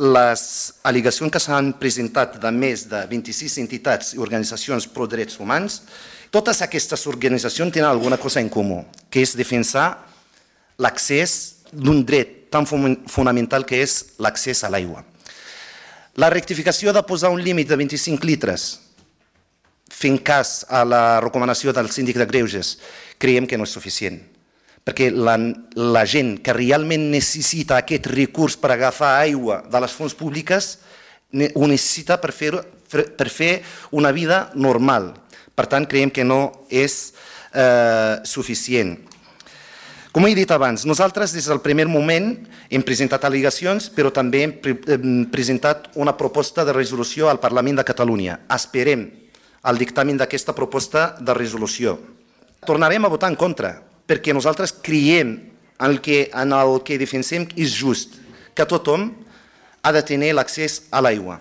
les al·legacions que s'han presentat de més de 26 entitats i organitzacions pro drets humans, totes aquestes organitzacions tenen alguna cosa en comú, que és defensar l'accés d'un dret tan fonamental que és l'accés a l'aigua. La rectificació de posar un límit de 25 litres, fent cas a la recomanació del síndic de Greuges, creiem que no és suficient, perquè la gent que realment necessita aquest recurs per agafar aigua de les fonts públiques ho necessita per fer una vida normal. Per tant, creiem que no és suficient. Com he dit abans, nosaltres des del primer moment hem presentat al·legacions, però també hem presentat una proposta de resolució al Parlament de Catalunya. Esperem el dictamen d'aquesta proposta de resolució. Tornarem a votar en contra, perquè nosaltres creiem en el que defensem és just, que tothom ha de tenir l'accés a l'aigua.